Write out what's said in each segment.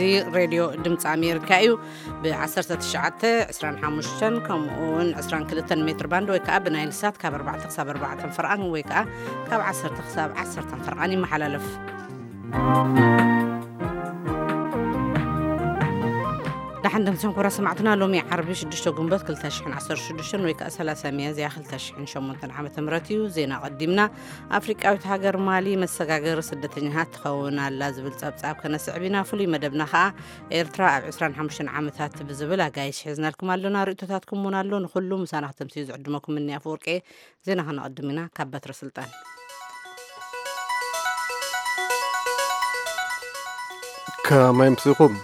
እዚ ሬድዮ ድምፂ ኣሜሪካ እዩ። ብ19፣ 25 ከምኡ እውን 22 ሜትር ባንድ ወይ ከዓ ብናይል ሳት ካብ ኣርባዕተ ክሳብ ኣርባዕተ ፈርቓን ወይ ከዓ ካብ ዓሰርተ ክሳብ ዓሰርተ ፈርቓን ይመሓላለፍ። ደሓን ደምሲኹም ክቡራት ሰማዕትና። ሎሚ ዓርቢ ሽዱሽተ ግንቦት ክልተ ሽሕን ዓሰርተ ሽዱሽተን ወይ ከዓ ሰላሳ ሚያዝያ ክልተ ሽሕን ሸሞንተን ዓመተ ምህረት እዩ። ዜና ቀዲምና። ኣፍሪቃዊት ሃገር ማሊ መሰጋገሪ ስደተኛታት ትኸውን ኣላ ዝብል ጸብጻብ ከነስዕብ ኢና። ፍሉይ መደብና ከኣ ኤርትራ ኣብ ዕስራን ሓሙሽተን ዓመታት ብዝብል ኣጋይሽ ሒዝናልኩም ኣሎና። ርእይቶታትኩም እውን ኣሎ። ንኹሉ ምሳና ክተምስዩ ዝዕድመኩም እኒ ኣፈወርቂ። ዜና ከነቐድም ኢና። ካብ በትረ ስልጣን። ከመይ ኣምሲኹም?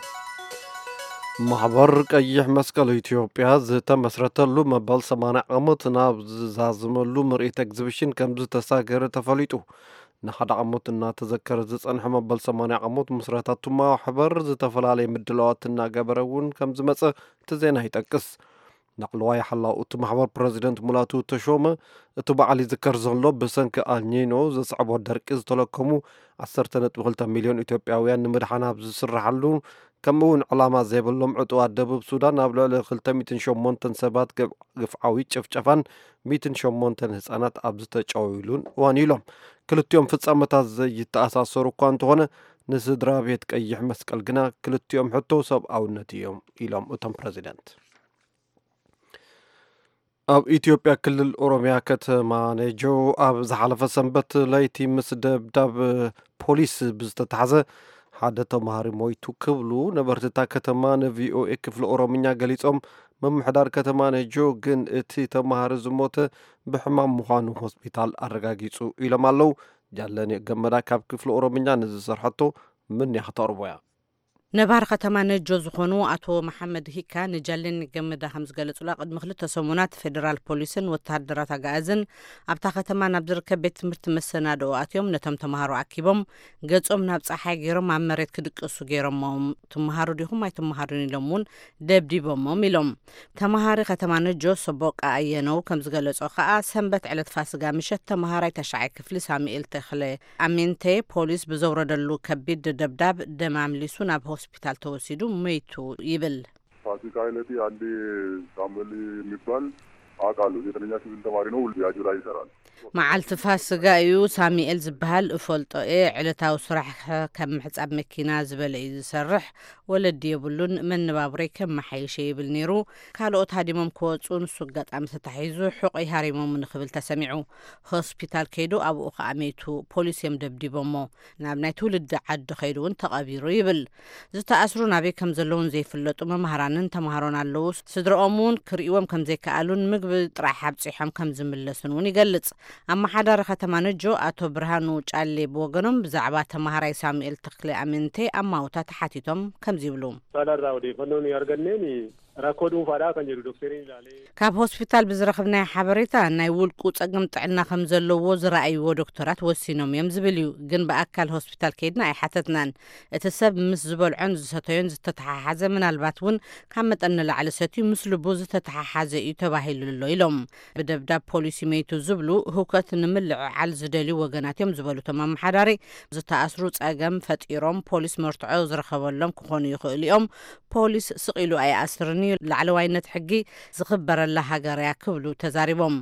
ማሕበር ቀይሕ መስቀል ኢትዮጵያ ዝተመስረተሉ መበል ሰማንያ ዓመት ናብ ዝዛዝመሉ ምርኢት ኤግዚቢሽን ከም ዝተሳገረ ተፈሊጡ። ንሓደ ዓመት እናተዘከረ ዝጸንሐ መበል ሰማንያ ዓመት ምስረታ እቱ ማሕበር ዝተፈላለየ ምድላዋት እናገበረ እውን ከም ዝመጸ እቲ ዜና ይጠቅስ። ላዕለዋይ ሓላው እቲ ማሕበር ፕረዚደንት ሙላቱ ተሾመ፣ እቲ በዓል ይዝከር ዘሎ ብሰንኪ ኣልኒኖ ዘስዕቦ ደርቂ ዝተለከሙ ዓሰርተ ነጥቢ ክልተ ሚልዮን ኢትዮጵያውያን ንምድሓን ኣብ ዝስርሓሉ፣ ከምኡ እውን ዕላማ ዘይብሎም ዕጡዋት ደቡብ ሱዳን ኣብ ልዕሊ ክልተ ሚእትን ሸሞንተን ሰባት ግብ-፣ ግፍዓዊ ጭፍጨፋን ሚእትን ሸሞንተን ህጻናት ኣብ ዝተጨውይሉን እዋን ኢሎም። ክልቲኦም ፍጻመታት ዘይተኣሳሰሩ እኳ እንተኾነ፣ ንስድራ ቤት ቀይሕ መስቀል ግና ክልቲኦም ሕቶ ሰብኣውነት እዮም ኢሎም እቶም ፕረዚደንት። ኣብ ኢትዮጵያ ክልል ኦሮሚያ ከተማ ነጆ ኣብ ዝሓለፈ ሰንበት ለይቲ ምስ ደብዳብ ፖሊስ ብዝተታሕዘ ሓደ ተማሃሪ ሞይቱ ክብሉ ነበርቲ እታ ከተማ ንቪኦኤ ክፍሊ ኦሮምኛ ገሊጾም፣ ምምሕዳር ከተማ ነጆ ግን እቲ ተማሃሪ ዝሞተ ብሕማም ምዃኑ ሆስፒታል ኣረጋጊጹ ኢሎም ኣለዉ። ጃለኔ ገመዳ ካብ ክፍሊ ኦሮምኛ ንዝሰርሐቶ ምንያ ክተቕርቦ እያ። ነባሪ ከተማ ነጆ ዝኾኑ ኣቶ መሓመድ ሂካ ንጃለኔ ገመዳ ከም ዝገለጹላ፣ ቅድሚ ክልተ ሰሙናት ፌደራል ፖሊስን ወተሃደራት ኣጋኣዝን ኣብታ ከተማ ናብ ዝርከብ ቤት ትምህርቲ መሰናድኦ ኣትዮም ነቶም ተምሃሮ ኣኪቦም ገጾም ናብ ጸሓይ ገይሮም ኣብ መሬት ክድቅሱ ገይሮሞም። ትምሃሩ ዲኹም ኣይትምሃሩን ኢሎም እውን ደብዲቦሞም ኢሎም። ተምሃሪ ከተማ ነጆ ሰቦቃ ኣየነው ከም ዝገለጾ ከኣ፣ ሰንበት ዕለት ፋስጋ ምሸት ተምሃራይ ተሻዓይ ክፍሊ ሳሙኤል ተኽለ ኣሜንቴ ፖሊስ ብዘውረደሉ ከቢድ ደብዳብ ደም ኣምሊሱ ናብ ሆስፒታል ተወሲዱ ሞይቱ ይብል። ፋሲካ ዕለት አንድ ሳሙኤል የሚባል አውቃለሁ። ዘጠነኛ ክፍል ተማሪ ነው። ያጁ ላይ ይሰራል። መዓልቲ ፋስጋ እዩ። ሳሙኤል ዝበሃል እፈልጦ እየ። ዕለታዊ ስራሕ ከም ምሕጻብ መኪና ዝበለ እዩ ዝሰርሕ። ወለዲ የብሉን። መነባብሮይ ከመሓይሸ ይብል ነይሩ። ካልኦት ሃዲሞም ክወጹ፣ ንሱ ኣጋጣሚ ተታሒዙ፣ ሕቖይ ሃሪሞም ንክብል ተሰሚዑ። ሆስፒታል ከይዱ፣ ኣብኡ ከኣ መይቱ። ፖሊስ እዮም ደብዲቦሞ። ናብ ናይ ትውልዲ ዓዲ ከይዱ እውን ተቐቢሩ ይብል። ዝተኣስሩ ናበይ ከም ዘለውን ዘይፍለጡ መምሃራንን ተምሃሮን ኣለዉ። ስድረኦም እውን ክርእይዎም ከም ዘይከኣሉን ምግቢ ጥራሕ ኣብጺሖም ከም ዝምለሱን እውን ይገልጽ። ኣመሓዳሪ ከተማ ነጆ ኣቶ ብርሃኑ ጫሌ ብወገኖም ብዛዕባ ተምሃራይ ሳሙኤል ተኽለ ኣሜንቴ ኣማውታ ተሓቲቶም ከምዚ ይብሉ። Sadarraa odeeffannoo nuyi arganneen rakkoo dhuunfaadhaa kan jedhu doktariin ilaalee. ካብ ሆስፒታል ብዝረኽብናዮ ሓበሬታ ናይ ውልቁ ጸገም ጥዕና ከም ዘለዎ ዝረኣይዎ ዶክተራት ወሲኖም እዮም ዝብል እዩ። ግን ብኣካል ሆስፒታል ከይድና ኣይሓተትናን። እቲ ሰብ ምስ ዝበልዖን ዝሰተዮን ዝተተሓሓዘ፣ ምናልባት እውን ካብ መጠን ንላዕሊ ሰትዩ ምስ ልቡ ዝተተሓሓዘ እዩ ተባሂሉ ኣሎ ኢሎም። ብደብዳብ ፖሊሲ መይቱ ዝብሉ ህውከት ንምልዕዓል ዝደልዩ ወገናት እዮም ዝበሉ እቶም ኣመሓዳሪ፣ ዝተኣስሩ ጸገም ፈጢሮም ፖሊስ መርትዖ ዝረኸበሎም ክኾኑ ይኽእሉ እዮም። ፖሊስ ስቕ ኢሉ ኣይኣስርን እዩ። ላዕለዋይነት ሕጊ ዝኽበረላ ሃገር እያ ክብሉ ተዛሪቦም።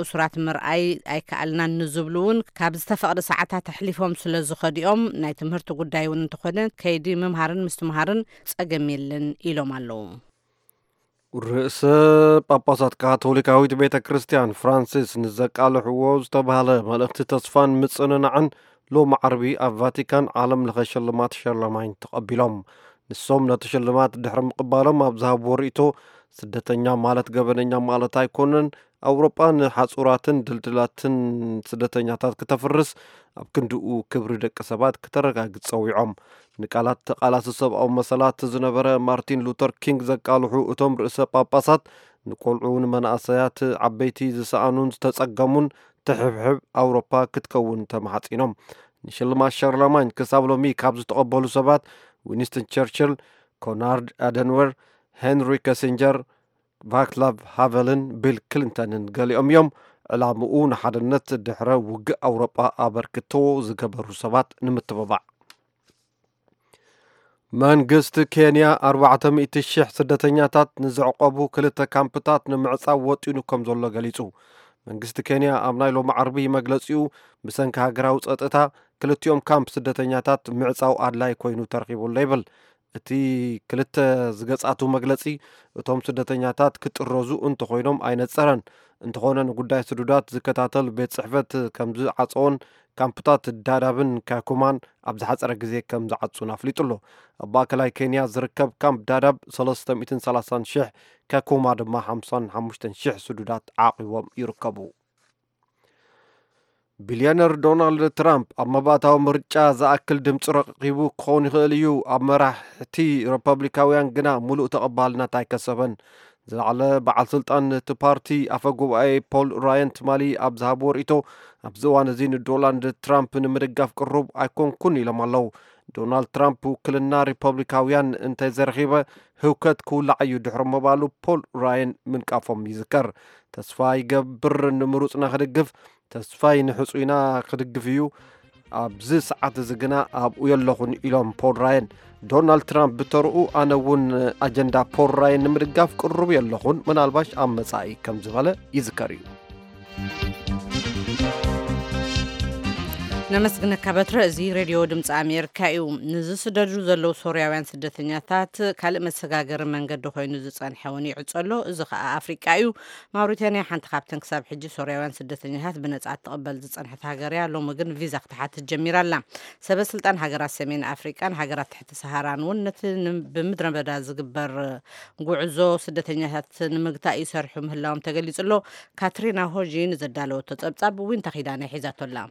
እሱራት ምርኣይ ኣይከኣልናን ንዝብሉ እውን ካብ ዝተፈቕደ ሰዓታት ኣሕሊፎም ስለ ዝኸዲኦም ናይ ትምህርቲ ጉዳይ እውን እንተኾነ ከይዲ ምምሃርን ምስትምሃርን ጸገም የለን ኢሎም ኣለዉ። ርእሰ ጳጳሳት ካቶሊካዊት ቤተ ክርስቲያን ፍራንሲስ ንዘቃልሕዎ ዝተባህለ መልእኽቲ ተስፋን ምጽንናዕን ሎም ዓርቢ ኣብ ቫቲካን ዓለም ለኸ ሽልማት ሸርለማይን ተቐቢሎም። ንሶም ነቲ ሽልማት ድሕሪ ምቕባሎም ኣብ ዝሃብዎ ርእይቶ፣ ስደተኛ ማለት ገበነኛ ማለት ኣይኮነን፣ ኣውሮጳ ንሓጹራትን ድልድላትን ስደተኛታት ክተፍርስ ኣብ ክንድኡ ክብሪ ደቂ ሰባት ክተረጋግጽ ጸዊዖም። ንቃላት ተቓላሲ ሰብኣዊ መሰላት ዝነበረ ማርቲን ሉተር ኪንግ ዘቃልሑ እቶም ርእሰ ጳጳሳት፣ ንቆልዑ፣ ንመናእሰያት፣ ዓበይቲ ዝሰኣኑን ዝተጸገሙን ትሕብሕብ ኣውሮፓ ክትከውን ተማሕጺኖም። ንሽልማት ሻርለማኝ ክሳብ ሎሚ ካብ ዝተቐበሉ ሰባት ዊንስተን ቸርችል፣ ኮናርድ ኣደንወር፣ ሄንሪ ከሲንጀር፣ ቫክላቭ ሃቨልን ቢል ክሊንተንን ገሊኦም እዮም። ዕላምኡ ንሓድነት ድሕረ ውግእ ኣውሮጳ ኣበርክቶ ዝገበሩ ሰባት ንምትብባዕ። መንግስቲ ኬንያ ኣርባዕተ ሚእቲ ሺሕ ስደተኛታት ንዘዕቆቡ ክልተ ካምፕታት ንምዕጻው ወጢኑ ከም ዘሎ ገሊጹ። መንግስቲ ኬንያ ኣብ ናይ ሎሚ ዓርቢ መግለጺኡ፣ ብሰንኪ ሃገራዊ ጸጥታ ክልቲኦም ካምፕ ስደተኛታት ምዕጻው ኣድላይ ኮይኑ ተረኺቡ ኣሎ ይብል። እቲ ክልተ ዝገጻቱ መግለጺ፣ እቶም ስደተኛታት ክጥረዙ እንተኾይኖም ኣይነጸረን። እንተኾነ ንጉዳይ ስዱዳት ዝከታተል ቤት ጽሕፈት ከም ዝዓጸዎን ካምፕታት ዳዳብን ካኩማን ኣብ ዝሓጸረ ግዜ ከም ዝዓጹን ኣፍሊጡ ኣሎ። ኣብ ማእከላይ ኬንያ ዝርከብ ካምፕ ዳዳብ ሰለስተ ሚእትን ሰላሳን ሽሕ፣ ካኩማ ድማ ሓምሳን ሓሙሽተን ሽሕ ስዱዳት ዓቒቦም ይርከቡ። ቢልዮነር ዶናልድ ትራምፕ ኣብ መባእታዊ ምርጫ ዝኣክል ድምፂ ረኺቡ ክኸውን ይኽእል እዩ፣ ኣብ መራሕቲ ሪፐብሊካውያን ግና ሙሉእ ተቐባልነት ኣይከሰበን። ዝለዓለ በዓል ስልጣን እቲ ፓርቲ ኣፈ ጉባኤ ፖል ራየን ትማሊ ኣብ ዝሃብዎ ርእይቶ፣ ኣብዚ እዋን እዚ ንዶናልድ ትራምፕ ንምድጋፍ ቅሩብ ኣይኮንኩን ኢሎም ኣለዉ። ዶናልድ ትራምፕ ውክልና ሪፐብሊካውያን እንተዘይረኺበ ህውከት ክውላዕ እዩ ድሕሪ ምባሉ ፖል ራየን ምንቃፎም ይዝከር። ተስፋ ይገብር ንምሩፅና ክድግፍ፣ ተስፋይ ንሕጹይና ክድግፍ እዩ። ኣብዚ ሰዓት እዚ ግና ኣብኡ የለኹን ኢሎም ፖል ራየን። ዶናልድ ትራምፕ ብተርኡ ኣነ እውን ኣጀንዳ ፖል ራየን ንምድጋፍ ቅሩብ የለኹን፣ ምናልባሽ ኣብ መጻኢ ከም ዝበለ ይዝከር እዩ። ነመስግነካ በትረ። እዚ ሬድዮ ድምፂ ኣሜሪካ እዩ። ንዝስደዱ ዘለዉ ሶርያውያን ስደተኛታት ካልእ መሰጋገሪ መንገዲ ኮይኑ ዝፀንሐ እውን ይዕፀሎ። እዚ ከዓ ኣፍሪቃ እዩ። ማውሪታንያ ሓንቲ ካብተን ክሳብ ሕጂ ሶርያውያን ስደተኛታት ብነፃ ትቕበል ዝፀንሐት ሃገር እያ። ሎሚ ግን ቪዛ ክትሓትት ጀሚራ ኣላ። ሰበ ስልጣን ሃገራት ሰሜን ኣፍሪቃን ሃገራት ትሕቲ ሰሃራን እውን ነቲ ን- ብምድረ በዳ ዝግበር ጉዕዞ ስደተኛታት ንምግታእ ይሰርሑ ምህላዎም ተገሊጹ ኣሎ። ካትሪና ሆጂ ንዘዳለወቶ ጸብጻብ ዊንታ ኪዳነ ሒዛቶ ኣላ።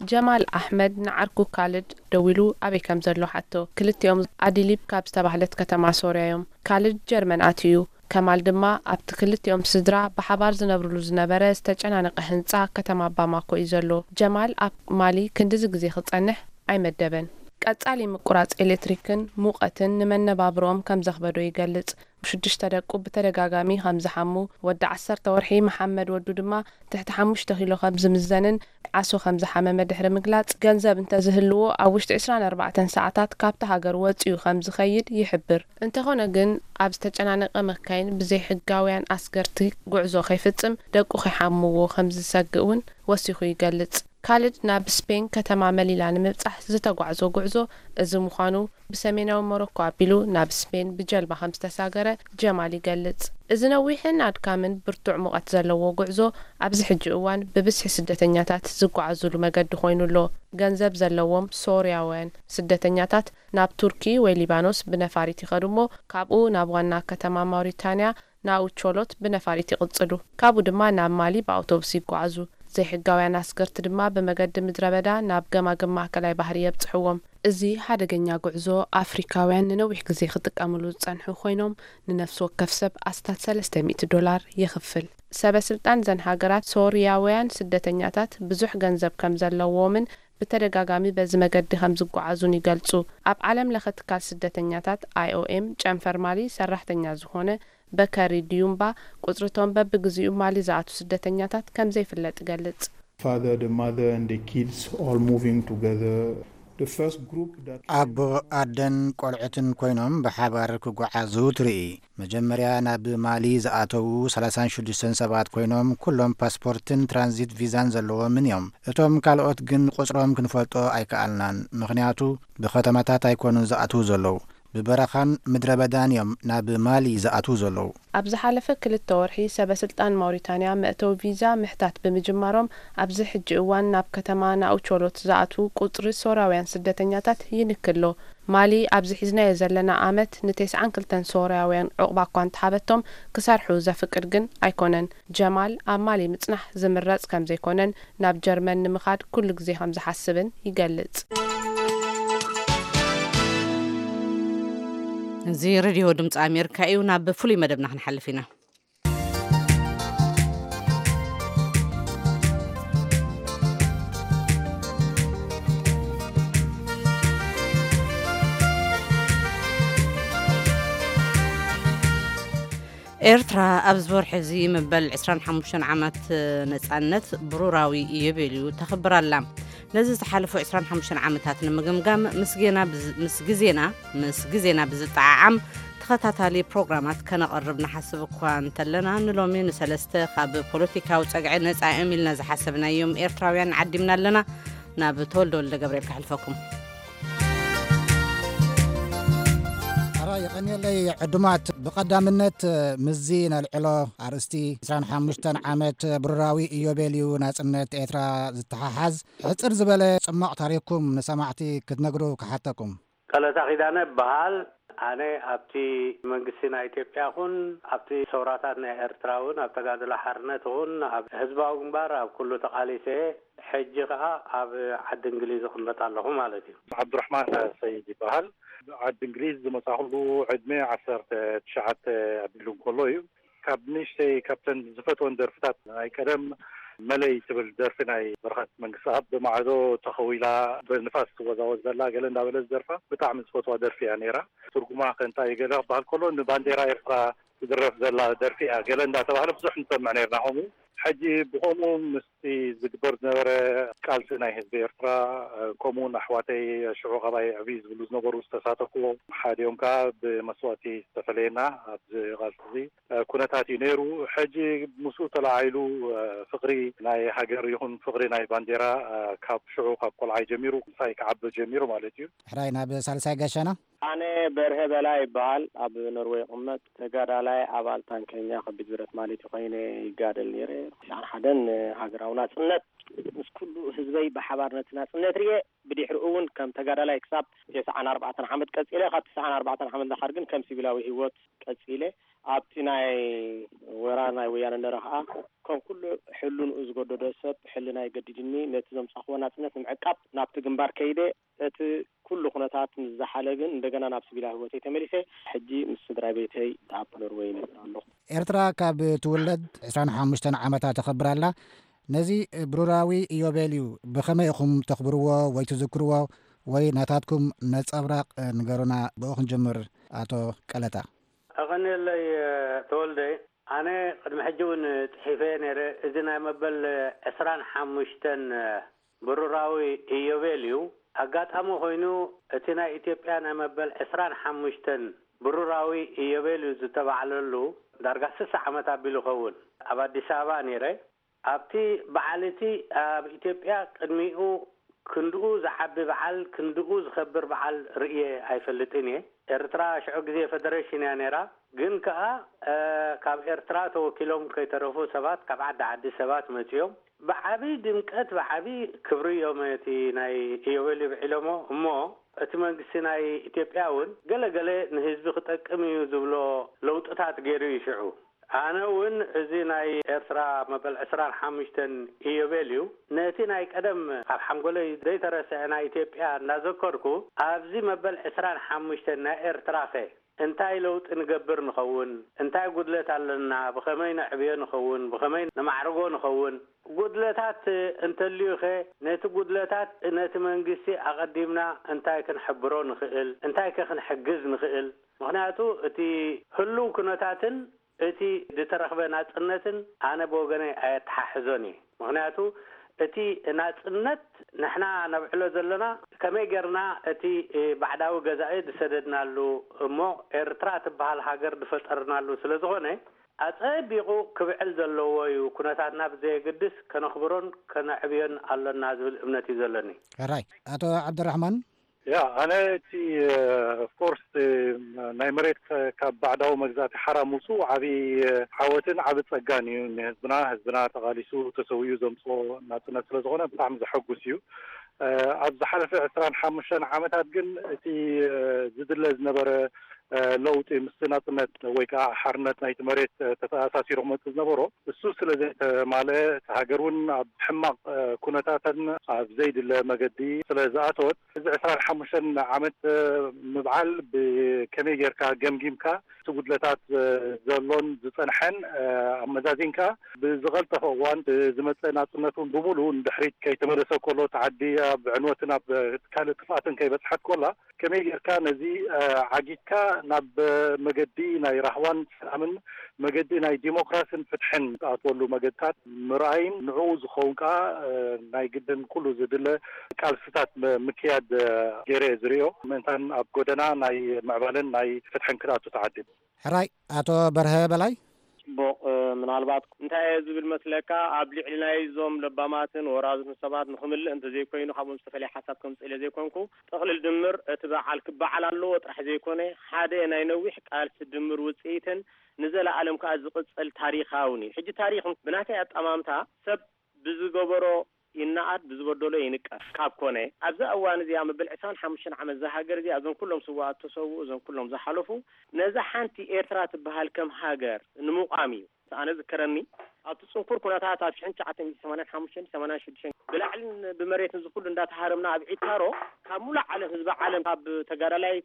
ጀማል ኣሕመድ ንዓርኩ ካልድ ደዊሉ ኣበይ ከም ዘሎ ሓቶ። ክልቲኦም ኣዲሊብ ካብ ዝተባህለት ከተማ ሶርያ እዮም። ካልድ ጀርመን ኣትዩ እዩ። ከማል ድማ ኣብቲ ክልቲኦም ስድራ ብሓባር ዝነብርሉ ዝነበረ ዝተጨናነቐ ህንጻ ከተማ ባማኮ እዩ ዘሎ። ጀማል ኣብ ማሊ ክንድዚ ግዜ ክጸንሕ ኣይመደበን። ቀጻሊ ምቁራጽ ኤሌክትሪክን ሙቐትን ንመነባብሮኦም ከም ዘኽበዶ ይገልጽ። ሽዱሽተ ደቁ ብተደጋጋሚ ከም ዝሓሙ፣ ወዲ ዓሰርተ ወርሒ መሓመድ ወዱ ድማ ትሕቲ ሓሙሽተ ኪሎ ከም ዝምዘንን ዓሶ ከም ዝሓመመ ድሕሪ ምግላጽ፣ ገንዘብ እንተዝህልዎ ኣብ ውሽጢ ዕስራን ኣርባዕተን ሰዓታት ካብቲ ሃገር ወጺኡ ከም ዝኸይድ ይሕብር። እንተኾነ ግን ኣብ ዝተጨናነቐ መካይን ብዘይ ሕጋውያን ኣስገርቲ ጉዕዞ ከይፍጽም ደቁ ከይሓምዎ ከም ዝሰግእ እውን ወሲኹ ይገልጽ። ካልድ ናብ ስፔን ከተማ መሊላ ንምብጻሕ ዝተጓዕዞ ጉዕዞ እዚ ምዃኑ ብሰሜናዊ ሞሮኮ ኣቢሉ ናብ ስፔን ብጀልባ ከም ዝተሳገረ ጀማል ይገልጽ። እዚ ነዊሕን ኣድካምን ብርቱዕ ሙቐት ዘለዎ ጉዕዞ ኣብዚ ሕጂ እዋን ብብዝሒ ስደተኛታት ዝጓዓዙሉ መገዲ ኮይኑ ኣሎ። ገንዘብ ዘለዎም ሶርያውያን ስደተኛታት ናብ ቱርኪ ወይ ሊባኖስ ብነፋሪት ይኸዱ እሞ ካብኡ ናብ ዋና ከተማ ማውሪታንያ ናኡቾሎት ብነፋሪት ይቕጽሉ። ካብኡ ድማ ናብ ማሊ ብኣውቶቡስ ይጓዓዙ። ዘይሕጋውያን ኣስገርቲ ድማ ብመገዲ ምድረ በዳ ናብ ገማግም ማእከላይ ባሕሪ የብጽሕዎም። እዚ ሓደገኛ ጉዕዞ ኣፍሪካውያን ንነዊሕ ግዜ ክጥቀምሉ ዝጸንሑ ኮይኖም ንነፍሲ ወከፍ ሰብ ኣስታት ሰለስተ ሚእቲ ዶላር የኽፍል። ሰበ ስልጣን ዘን ሃገራት ሶርያውያን ስደተኛታት ብዙሕ ገንዘብ ከም ዘለዎምን ብተደጋጋሚ በዚ መገዲ ከም ዝጓዓዙን ይገልጹ። ኣብ ዓለም ለኸ ትካል ስደተኛታት ኣይኦኤም ጨንፈር ማሊ ሰራሕተኛ ዝኾነ በከሪ ድዩምባ ቁጽሪ እቶም በብግዚኡ ማሊ ዝኣቱ ስደተኛታት ከም ዘይፍለጥ ይገልጽ። Father, the mother, and the kids all moving together. The first group that ኣቦ ኣደን ቆልዑትን ኮይኖም ብሓባር ክጓዓዙ ትርኢ። መጀመርያ ናብ ማሊ ዝኣተዉ ሰላሳን ሽዱሽተን ሰባት ኮይኖም ኩሎም ፓስፖርትን ትራንዚት ቪዛን ዘለዎምን እዮም። እቶም ካልኦት ግን ቁጽሮም ክንፈልጦ ኣይከኣልናን፣ ምኽንያቱ ብኸተማታት ኣይኮኑን ዝኣትዉ ዘለዉ። ብበረኻን ምድረ በዳን እዮም ናብ ማሊ ዝኣትዉ ዘለዉ። ኣብ ዝሓለፈ ክልተ ወርሒ ሰበ ስልጣን ማውሪታንያ መእተዊ ቪዛ ምሕታት ብምጅማሮም ኣብዚ ሕጂ እዋን ናብ ከተማ ናኡቾሎት ዝኣትዉ ቁጽሪ ሶርያውያን ስደተኛታት ይንክሎ። ማሊ ኣብዚ ሒዝናዮ ዘለና ዓመት ንተስዓን ክልተን ሶርያውያን ዑቕባ እኳ እንተሃበቶም ክሰርሑ ዘፍቅድ ግን ኣይኮነን። ጀማል ኣብ ማሊ ምጽናሕ ዝምረጽ ከም ዘይኮነን ናብ ጀርመን ንምኻድ ኩሉ ግዜ ከም ዝሓስብን ይገልጽ። እዚ ሬድዮ ድምፂ ኣሜሪካ እዩ። ናብ ፍሉይ መደብና ክንሓልፍ ኢና። ኤርትራ ኣብዚ ወርሒ እዚ መበል ዕስራን ሓሙሽተን ዓመት ነጻነት ብሩራዊ ይብል እዩ ተኽብር ኣላ። ነዚ ዝሓለፉ ዕስራን ሓሙሽተን ዓመታት ንምግምጋም ምስ ጌና ብዝ-፣ ምስ ግዜና፣ ምስ ግዜና ብዝጠዓዓም ተኸታታሊ ፕሮግራማት ከነቐርብ ንሓስብ እኳ እንተለና፣ ንሎሚ ንሰለስተ ካብ ፖለቲካዊ ጸግዒ ነጻ እዮም ኢልና ዝሓሰብናዮም ኤርትራውያን ዓዲምና ኣለና። ናብ ተወልደ ወልደ ገብርኤል ከሕልፈኩም። ኣራ የቐንየለይ ዕዱማት፣ ብቐዳምነት ምስዚ ነልዕሎ ኣርእስቲ ዕስራን ሓሙሽተን ዓመት ብሩራዊ ኢዮቤልዩ ናጽነት ኤርትራ ዝተሓሓዝ ሕጽር ዝበለ ጽማቕ ታሪኽኩም ንሰማዕቲ ክትነግሩ ክሓተኩም። ቀለታ ኪዳነ እበሃል። ኣነ ኣብቲ መንግስቲ ናይ ኢትዮጵያ ኹን ኣብቲ ሰውራታት ናይ ኤርትራ እውን ኣብ ተጋድሎ ሓርነት ኹን ኣብ ህዝባዊ ግንባር ኣብ ኩሉ ተቓሊሰ፣ ሕጂ ኸኣ ኣብ ዓዲ እንግሊዝ እቕመጥ ኣለኹ ማለት እዩ። ዓብዱራሕማን ሰይድ ይበሃል። ዓዲ እንግሊዝ ዝመጻኹሉ ዕድመ ዓሰርተ ትሽዓተ ኣቢሉ እንከሎ እዩ። ካብ ንእሽተይ ካብተን ዝፈትወን ደርፍታት ናይ ቀደም መለይ ትብል ደርፊ ናይ በረኸት መንግስትኣብ፣ ብማዕዶ ተኸዊላ ብንፋስ ትወዛወዝ ዘላ ገለ እንዳበለ ዝደርፋ ብጣዕሚ ዝፈትዋ ደርፊ እያ ነይራ። ትርጉማ ከ እንታይ እዩ ገለ ክበሃል ከሎ፣ ንባንዴራ ኤርትራ ትድረፍ ዘላ ደርፊ እያ ገለ እንዳተባህለ ብዙሕ ንሰምዕ ነይርና። ከምኡ ሕጂ ብኸምኡ ምስቲ ዝግበር ዝነበረ ቃልሲ ናይ ህዝቢ ኤርትራ፣ ከምኡውን ኣሕዋተይ ሽዑ ካባይ ዕብይ ዝብሉ ዝነበሩ ዝተሳተፍዎ ሓደ እዮም። ከዓ ብመስዋእቲ ዝተፈለየና ኣብዚ ቃልሲ እዚ ኩነታት እዩ ነይሩ። ሕጂ ምስኡ ተለዓዒሉ ፍቕሪ ናይ ሃገር ይኹን ፍቕሪ ናይ ባንዴራ ካብ ሽዑ ካብ ቆልዓይ ጀሚሩ ምሳይ ክዓቢ ጀሚሩ ማለት እዩ። ሕራይ ናብ ሳልሳይ ጋሻና። ኣነ በርሀ በላይ ይበሃል። ኣብ ኖርወይ ይቕመጥ። ተጋዳላይ ኣባል ታንከኛ ከቢድ ብረት ማለት እዩ ኮይነ ይጋደል ነይረ። ትስዓን ሓደን ሃገራዊ ናጽነት ምስ ኩሉ ህዝበይ ብሓባር ነቲ ናጽነት ርየ። ብድሕሪኡ እውን ከም ተጋዳላይ ክሳብ ተስዓን ኣርባዕተን ዓመት ቀጺለ። ካብ ተስዓን ኣርባዕተን ዓመት ዳሓር ግን ከም ሲቪላዊ ህይወት ቀጺለ። ኣብቲ ናይ ወራር ናይ ወያነ እንደረ ኸኣ ከም ኩሉ ሕልንኡ ዝገደዶ ሰብ ሕልናይ ገዲድኒ ነቲ ዘምጻኽዎ ናጽነት ንምዕቃብ ናብቲ ግንባር ከይደ። እቲ ኩሉ ኩነታት ምስ ዝሓለ ግን እንደገና ናብ ሲቪላዊ ህይወተይ ተመሊሰ። ሕጂ ምስ ስድራ ቤተይ ኣብ ኖርወይ ይነብር ኣለኹ። ኤርትራ ካብ ትውለድ ዕስራን ሓሙሽተን ዓመታ ተኸብር ኣላ። ነዚ ብሩራዊ ኢዮቤልዩ ብኸመይ ኢኹም ተኽብርዎ ወይ ትዝክርዎ? ወይ ናታትኩም ነጸብራቕ ንገሩና። ብኡ ክንጅምር ኣቶ ቀለታ። ኣቐንየለይ ተወልደ። ኣነ ቅድሚ ሕጂ እውን ጽሒፈ ነይረ። እዚ ናይ መበል ዕስራን ሓሙሽተን ብሩራዊ ኢዮቤልዩ ኣጋጣሚ ኮይኑ፣ እቲ ናይ ኢትዮጵያ ናይ መበል ዕስራን ሓሙሽተን ብሩራዊ ኢዮቤልዩ ዝተባዕለሉ ዳርጋ ስሳ ዓመት ኣቢሉ ይኸውን። ኣብ ኣዲስ ኣበባ ነይረ። ኣብቲ በዓል እቲ ኣብ ኢትዮጵያ ቅድሚኡ ክንድኡ ዝዓቢ በዓል፣ ክንድኡ ዝኸብር በዓል ርእየ ኣይፈልጥን እየ። ኤርትራ ሽዑ ግዜ ፌደሬሽን እያ ነይራ። ግን ከኣ፣ እ፣ ካብ ኤርትራ ተወኪሎም ከይተረፉ ሰባት፣ ካብ ዓዲ ዓዲ ሰባት መጺኦም ብዓቢ ድምቀት፣ ብዓቢ ክብሪ እዮም እቲ ናይ ኢዮቤልዩ ብዒሎሞ። እሞ እቲ መንግስቲ ናይ ኢትዮጵያ እውን ገለ ገለ ንህዝቢ ክጠቅም እዩ ዝብሎ ለውጥታት ገይሩ እዩ ሽዑ። ኣነ እውን እዚ ናይ ኤርትራ መበል ዕስራን ሓሙሽተን ኢዮቤልዩ ነቲ ናይ ቀደም ኣብ ሓንጎለይ ዘይተረስዐ ናይ ኢትዮጵያ እናዘከርኩ፣ ኣብዚ መበል ዕስራን ሓሙሽተን ናይ ኤርትራኸ እንታይ ለውጢ ንገብር ንኸውን? እንታይ ጉድለት ኣለና? ብኸመይ ነዕብዮ ንኸውን? ብኸመይ ነማዕርጎ ንኸውን? ጉድለታት እንተልዩኸ፣ ነቲ ጉድለታት ነቲ መንግስቲ ኣቐዲምና እንታይ ክንሕብሮ ንኽእል? እንታይከ ክንሕግዝ ንኽእል? ምኽንያቱ እቲ ህሉው ኩነታትን እቲ ዝተረኽበ ናጽነትን ኣነ ብወገነይ ኣየተሓሕዞን እየ። ምኽንያቱ እቲ ናጽነት ንሕና ነብዕሎ ዘለና ከመይ ጌርና እቲ ባዕዳዊ ገዛኢ ዝሰደድናሉ እሞ ኤርትራ ትበሃል ሃገር ዝፈጠርናሉ ስለ ዝኾነ ኣጸቢቑ ክብዕል ዘለዎ እዩ። ኩነታትና ብዘየገድስ ከነኽብሮን ከነዕብዮን ኣሎና ዝብል እምነት እዩ ዘለኒ። ሕራይ። ኣቶ ዓብደራሕማን? ያ፣ ኣነ እቲ፣ ኦፍኮርስ፣ ናይ መሬት ከ-፣ ካብ ባዕዳዊ መግዛእቲ ሓራ ምውፅኡ ዓብዪ ዓወትን ዓቢ ጸጋን እዩ ንህዝብና። ህዝብና ተቓሊሱ ተሰዊኡ ዘምፅኦ ናጽነት ስለ ዝኾነ ብጣዕሚ ዘሐጉስ እዩ። ኣብ ዝሓለፈ ዕስራን ሓሙሽተን ዓመታት ግን እቲ ዝድለ ዝነበረ ለውጢ ምስቲ ናጽነት ወይ ከዓ ሓርነት ናይቲ መሬት ተተኣሳሲሩ ክመጽእ ዝነበሮ እሱ ስለ ዘይተማልአ፣ እቲ ሃገር እውን ኣብ ሕማቕ ኩነታትን ኣብ ዘይድለ መገዲ ስለ ዝኣተወት፣ እዚ ዕስራን ሓሙሽተን ዓመት ምብዓል ብከመይ ጌርካ ገምጊምካ፣ እቲ ጉድለታት ዘሎን ዝጸንሐን ኣመዛዚንካ፣ ብዝቐልጠፈ እዋን ዝመጸ ናጽነት እውን ብምሉኡ ንድሕሪት ከይተመለሰ ከሎ፣ እቲ ዓዲ ኣብ ዕንወትን ኣብ ካልእ ጥፍኣትን ከይበጽሐት ከላ፣ ከመይ ጌርካ ነዚ ዓጊትካ ናብ መገዲ ናይ ራህዋን ሰላምን መገዲ ናይ ዲሞክራሲን ፍትሕን ዝኣትወሉ መገድታት ምርኣይን ንዕኡ ዝኸውን ከዓ ናይ ግድን ኩሉ ዝድለ ቃልስታት ምክያድ ገይረ ዝሪኦ ምእንታን ኣብ ጎደና ናይ ምዕባለን ናይ ፍትሕን ክትኣቱ ተዓዲም። ሕራይ ኣቶ በርሀ በላይ። ጽቡቕ። ምናልባት እንታይ እየ ዝብል መስለካ፣ ኣብ ልዕሊ ናይዞም ለባማትን ወራዙትን ሰባት ንኽምልእ እንተዘይኮይኑ፣ ካብኦም ዝተፈለየ ሓሳብ ከምጽእ ኢለ ዘይኮንኩ፣ ጥቕልል ድምር እቲ በዓል ክበዓል ኣለዎ ጥራሕ ዘይኮነ፣ ሓደ ናይ ነዊሕ ቃልሲ ድምር ውጽኢትን ንዘለኣለም ከኣ ዝቕጽል ታሪኻውን እዩ። ሕጂ ታሪኽ ብናተይ ኣጠማምታ ሰብ ብዝገበሮ ይነኣድ፣ ብዝበደሎ ይንቀፍ ካብ ኮነ፣ ኣብዛ እዋን እዚኣ መበል ዕስራን ሓሙሽተን ዓመት እዛ ሃገር እዚኣ፣ እዞም ኩሎም ስውኣት ተሰውኡ፣ እዞም ኩሎም ዝሓለፉ፣ ነዛ ሓንቲ ኤርትራ ትበሃል ከም ሃገር ንምቋም እዩ። ኣነ ዝከረኒ ኣብቲ ጽንኩር ኩነታት ኣብ ሽሕን ትሽዓተ ሚእትን ሰማንያን ሓሙሽተን ሰማንያን ሽዱሽተን ብላዕልን ብመሬትን ዝኹሉ እንዳተሃረምና ኣብ ዒካሮ ካብ ሙሉእ ዓለም ህዝቢ ዓለም ካብ ተጋዳላይ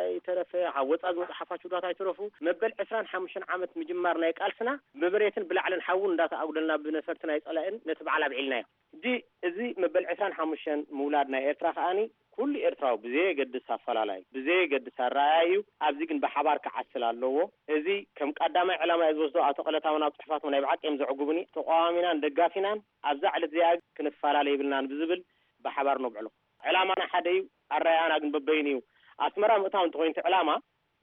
ኣይተረፈ ካብ ወጻ ዝመጹ ሓፋሽ ውዳት ኣይተረፉ መበል ዕስራን ሓሙሽተን ዓመት ምጅማር ናይ ቃልስና ብመሬትን ብላዕልን ሓውን እንዳተኣጉደልና ብነፈርቲ ናይ ጸላእን ነቲ በዓል ኣብዒልናዮ። ሕጂ እዚ መበል ዕስራን ሓሙሽተን ምውላድ ናይ ኤርትራ ከኣኒ ኩሉ ኤርትራዊ ብዘየገድስ ኣፈላላይ ብዘየገድስ ኣረኣያ እዩ። ኣብዚ ግን ብሓባር ክዓስል ኣለዎ። እዚ ከም ቀዳማይ ዕላማ እየ ዝወስዶ። ኣቶ ቀለታ እውን ኣብ ጽሑፋቶም ናይ ብሓቂ እዮም ዘዕጉቡኒ። ተቃዋሚናን ደጋፊናን ኣብዛ ዕለት እዚኣ ክንፈላለ የብልናን ብዝብል ብሓባር ነብዕሎ። ዕላማና ሓደ እዩ፣ ኣረኣያና ግን በበይኑ እዩ። ኣስመራ ምእታው እንተኾይኑ እቲ ዕላማ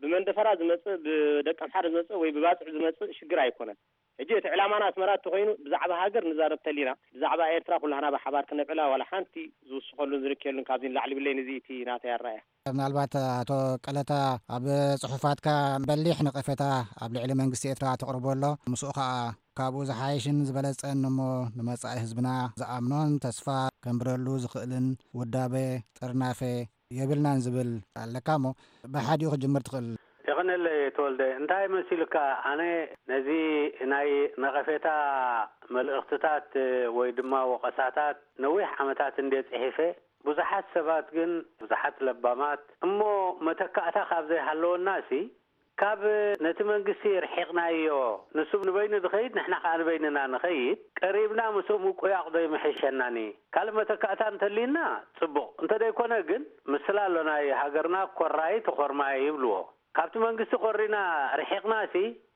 ብመንደፈራ ዝመጽእ ብደቀምሓረ ዝመጽእ ወይ ብባጽዕ ዝመጽእ ሽግር ኣይኮነን። ሕጂ እቲ ዕላማና ኣስመራ እንተኾይኑ ብዛዕባ ሃገር ንዛረብ ተሊና ብዛዕባ ኤርትራ ኩላህና ብሓባር ክነብዕላ ዋላ ሓንቲ ዝውስኸሉን ዝንከየሉን ካብዚ ንላዕሊ ብለይ ንዚ እቲ ናተይ ኣረኣያ። ምናልባት ኣቶ ቀለታ ኣብ ጽሑፋትካ በሊሕ ነቐፌታ ኣብ ልዕሊ መንግስቲ ኤርትራ ተቕርቦ ኣሎ። ምስኡ ከኣ ካብኡ ዝሓይሽን ዝበለጸን እሞ ንመጻኢ ህዝብና ዝኣምኖን ተስፋ ከንብረሉ ዝኽእልን ውዳበ ጥርናፈ የብልናን ዝብል ኣለካ እሞ ብሓዲኡ ክጅምር ትኽእል። የቐነለይ ተወልደ፣ እንታይ መሲሉካ፣ ኣነ ነዚ ናይ ነቐፌታ መልእኽትታት ወይ ድማ ወቐሳታት ነዊሕ ዓመታት እንድየ ጽሒፈ። ብዙሓት ሰባት ግን፣ ብዙሓት ለባማት፣ እሞ መተካእታ ካብ ዘይሃለወናሲ ካብ ነቲ መንግስቲ ርሒቕናዮ፣ ንሱ ንበይኑ ዝኸይድ ንሕና ከኣ ንበይንና ንኸይድ፣ ቀሪብና ምስኡ ምቁያቕ ዶ ይምሕሸናኒ? ካልእ መተካእታ እንተልዩና ጽቡቕ፣ እንተደይኮነ ግን ምስላ ኣሎ ናይ ሃገርና ኮራይ ተኾርማይ ይብልዎ። ካብቲ መንግስቲ ኮሪና ርሒቕናሲ